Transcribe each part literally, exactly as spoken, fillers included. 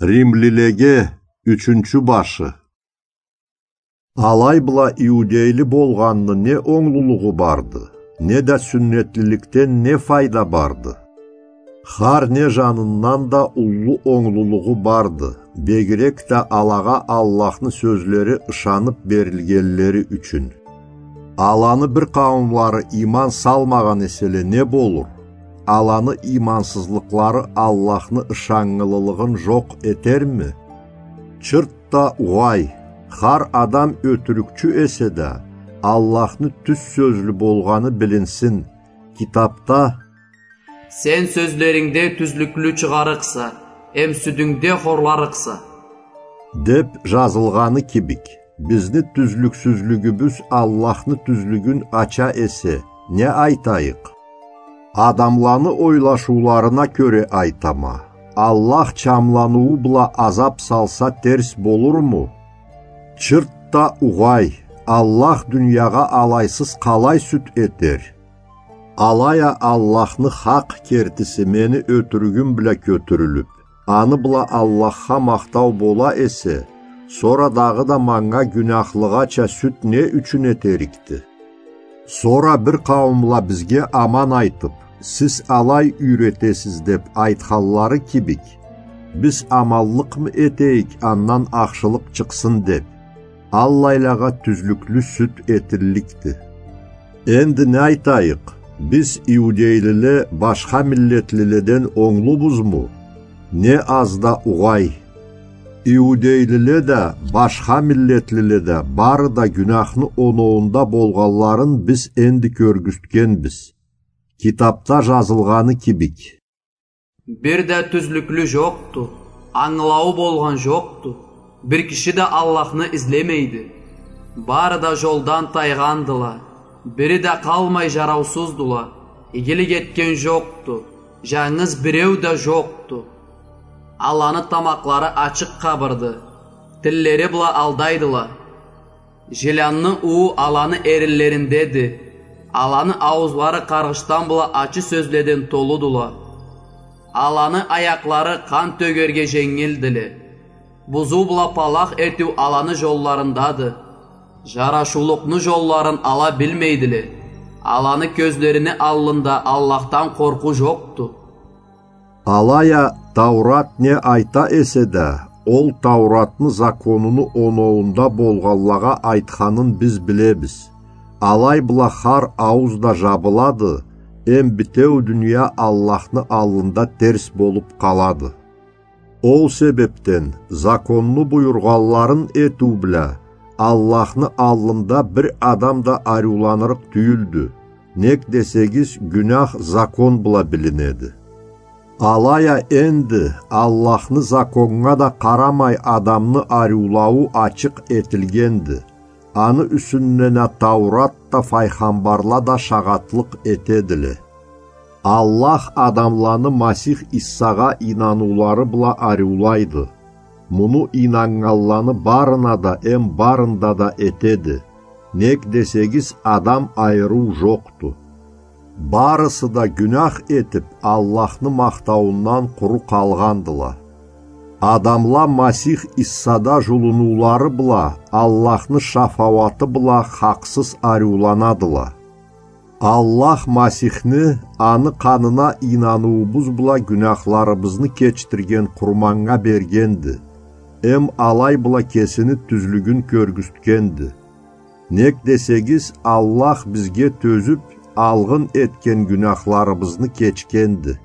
Римлилеге, ючюнчю башы. Алай бла иудейли болгъанны не онглулугъу барды, не да сюннетлиликден не файда барды? Хар не жанындан да уллу онглулугъу барды, бегирек да алагъа Аллахны сёзлери ышанып берилгенлери ючюн. Аланы бир къауумлары иман салмагъан эселе не болур? Аланы имансызлыкълары Аллахны ышаннгылылыгъын жокъ этерми? Чырт да угъай, хар адам ётюрюкчю эсе да, Аллахны тюз сёзлю болгъаны билинсин. Китапда: «Сен сёзлерингде тюзлюклю чыгъарыкъса, эм сюдюнгде хорларыкъса», — деп жазылгъаны кибик, бизни тюзлюксюзлюгюбюз Аллахны тюзлюгюн ача эсе, не айтайыкъ? Адамланы ойлашыуларына кёре айтама, Аллах чамланыуу бла азап салса, терс болурму? Чырт да угъай, Аллах дуниягъа алайсыз къалай сюд этер? Алай а Аллахны хакъ кертиси мени ётюрюгюм бла кётюрюлюп, аны бла Аллахха махтау бола эсе, сора дагъыда манга гюнахлыгъача сюд не ючюн этерикди? Сора бир къауумла бизге аман айтып, сиз алай юйретесиз деп айтханлары кибик, биз аманлыкъмы этейик, андан ахшылыкъ чыкъсын деп? Аллайлагъа тюзлюклю сюд этилликди. Энди не айтайыкъ? Биз иудейлиле башха миллетлиледен онглубузму? Не аз да угъай. Иудейлиле да, башха миллетлиле да бары да гюнахны оноуунда болгъанларын биз энди кёргюзтгенбиз. Китапда жазылгъаны кибик: «Бир да тюзлюклю жокъду, ангылауу болгъан жокъду, бир киши да Аллахны излемейди. Бары да жолдан тайгъандыла, бири да къалмай жараусуздула, игилик этген жокъду, жангыз биреу да жокъду. Аланы тамакълары ачыкъ къабырды, тиллери бла алдайдыла. Жилянны уу аланы эринлериндеди. Аланы ауузлары къаргъышдан бла ачы сёзледен толудула. Аланы аякълары къан тёгерге женгилдиле. Бузуу бла палах этиу аланы жолларындады. Жарашыулукъну жолларын ала билмейдиле. Аланы кёзлерини аллында Аллахдан къоркъуу жокъду». Алай а Таурат не айта эсе да, ол Тауратны законуну оноуунда болгъанлагъа айтханын биз билебиз. Алай бла хар аууз да жабылады, эм битеу дуния Аллахны аллында терс болуп къалады. Ол себепден законну буюргъанларын этиу бла Аллахны аллында бир адам да ариуланырыкъ тюйюлдю. Нек десегиз, гюнах закон бла билинеди. Алай а энди Аллахны законнга да къарамай адамны ариулауу ачыкъ этилгенди. Аны юсюнден а Таурат да, файгъамбарла да шагъатлыкъ этедиле. Аллах адамланы Масих Иссагъа ийнаныулары бла ариулайды. Муну ийнаннганланы барына да эм барында да этеди. Нек десегиз, адам айырыу жокъду. Барысы да гюнах этип, Аллахны махтауундан къуру къалгъандыла. Адамла Масих Иссада жулунулары бла, Аллахны шафауаты бла хакъсыз ариуланадыла. Аллах Масихни аны къанына ийнаныуубуз бла гюнахларыбызны кечдирген къурманнга бергенди, эм алай бла кесини тюзлюгюн кёргюзтгенди. Нек десегиз, Аллах бизге тёзюп, алгъын этген гюнахларыбызны кечгенди.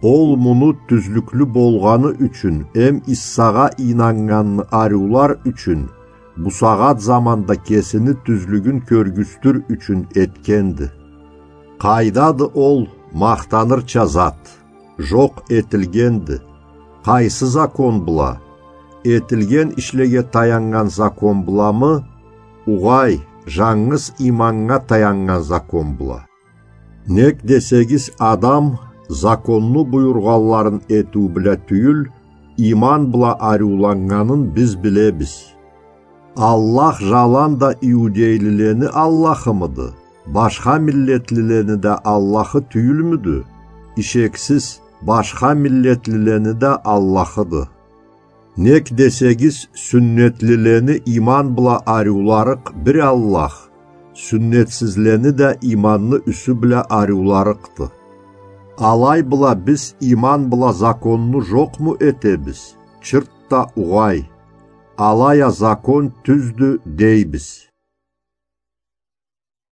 Ол муну тюзлюклю болгъаны ючюн эм Иссагъа ийнаннганны ариулар ючюн бусагъат заманда кесини тюзлюгюн кёргюзтюр ючюн этгенди. Къайдады ол махтанырча зат? Жокъ этилгенди. Къайсы закон бла? Этилген ишлеге таяннган закон бламы? Угъай, жангыз иманнга таяннган закон бла. Нек десегиз, адам законну буюргъанларын этиу бла тюйюл, иман бла ариуланнганын биз билебиз. Аллах жаланда да иудейлилени Аллахымыды? Башха миллетлилени да Аллахы тюйюлмюдю? Ишексиз, башха миллетлилени да Аллахыды. Нек десегиз, сюннетлилени иман бла ариуларыкъ бир Аллах, сюннетсизлени да иманны юсю бла ариуларыкъды. Алай бла биз иман бла законну жокъму этебиз? Чырт да угъай. Алай а закон тюздю дейбиз.